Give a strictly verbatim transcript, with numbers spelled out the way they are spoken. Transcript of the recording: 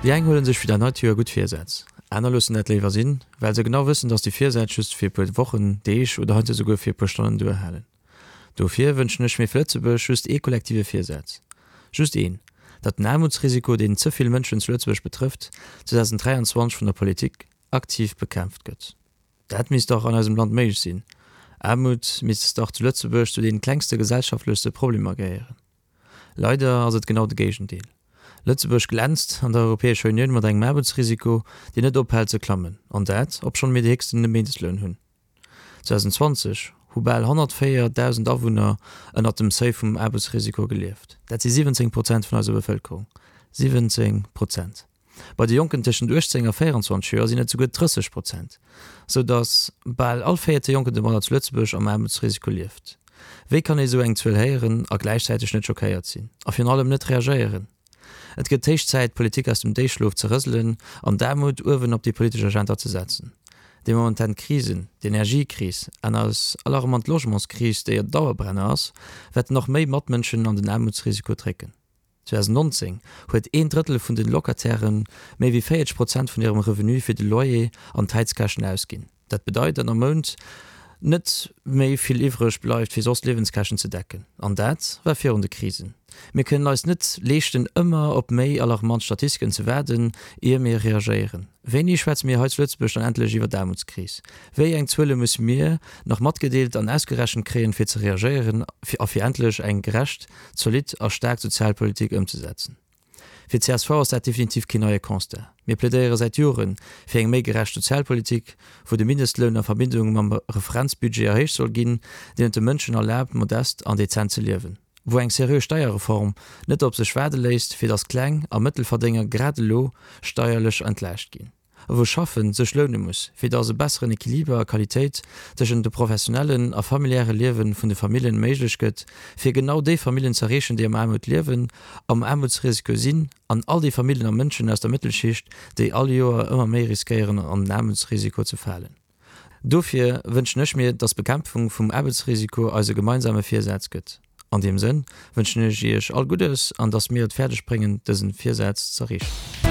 Déi eng huelen sech fir dat neit Joer gutt Virsätz, aner loossen dat léiwer sinn, well se genau wëssen, dass déi Virsätz just fir e puer Wochen, Deeg oder heiansdo souguer fir e puer Stonnen duerhalen. Dofir wënschen ech mir fir Lëtzebuerg just ee kollektive Virsaz. Just een, Datt den Aarmutsrisiko, deen ze vill Mënschen zu Lëtzebuerg betrëfft, zweedausenddräianzwanzeg vun der Politik aktiv bekämpft gëtt. Dat misst dach an eisem Land méiglech sinn. Aarmut misst dach zu Lëtzebuerg zu deene klengste gesellschaftlechste Problemer gehéieren. Leider ass et genau de Géigendeel. Lëtzebuerg glänzt an der Europäescher Unioun mat engem Aarmutsrisiko, deen net ophält ze klammen, an dat, obschonn mir de héchsten Mindestloun hunn. zweedausendzwanzeg hu bal honnertvéierdausend Awunner ënnert dem Seuil vum Aarmutsrisiko gelieft. Dat si siwwenzéng Prozent vun eiser Bevëlkerung. siwwenzéng Prozent! Bei de Jonken tëschent uechtzéng a véieranzwanzeg Joer sinn et souguer drësseg Prozent, sou datt bal all véierte Jonken domadder zu Lëtzebuerg am Aarmutsrisiko lieft. Wéi kann ee sou eng Zuel héieren a gläichzäiteg net schockéiert sinn? A virun allem net reagéieren? Et gëtt héich Zäit, d'Politik aus dem Déifschlof ze rëselen an d'Aarmut uewen op déi politesch Agenda ze setzen. Déi momentan Krisen, d'Energiekris an eis alarmant Logementskris, déi e Dauerbrenner ass, wäerten nach méi Matmënschen an den Aarmutsrisiko drécken. zweedausendnonzéng huet een Drëttel vun de Locataire méi wéi véierzeg Prozent vun hirem Revenu fir de Loyer an d'Heizkäschten ausginn. Dat bedeit, datt am Mount net méi vill iwwreg bleift, fir soss Liewenskäschten ze decken. An dat war virun de Krisen. Mir kënnen eis net leeschten, ëmmer op méi alarmant Statistiken ze waarden, ier mir reagéieren. Wéini schwätze mir hei zu Lëtzebuerg dann endlech iwwer d'Aarmutskris? Wéi eng Zuele musse mir nach matgedeelt an ausgerechent kréien, fir ze reagéieren a fir endlech eng gerecht, zolidd a staark Sozialpolitik ëmzesetzen? Fir d'CSV ass dat definitiv keen neie Constat. Mir plädéiere säit Jore fir eng méi gerecht Sozialpolitik, wou de Mindestloun a Verbindung mam Referenzbudget erhéicht soll ginn, deen et de Mënschen erlaabt, modest an dezent ze liewen, wou eng seriö Steierreform net op sech waarde léisst, fir datt Kleng a Mëttelverdénger grad elo steierlech entlaascht ginn, a wou Schaffe sech loune muss, fir datt e besseren Equiliber a Qualitéit tëschent de professionellen a familiäre Liewe vun de Familljen méiglech gëtt, fir genau déi Familljen z'erreechen, déi am Aarmut liewen, am Aarmutsrisiko sinn, an all déi Familljen a Mënschen aus der Mëttelschicht, déi all Joer ëmmer méi riskéieren an den Aarmutsrisiko ze falen. Dofir wënschen ech mir, dass d'Bekämpfung vum Aarbechtsrisiko eise gemeinsame Virsaz gëtt. An deem Sënn wënschen ech Iech all Guddes an dass mir et fäerdeg bréngen, dësen Virsaz z'erreechen.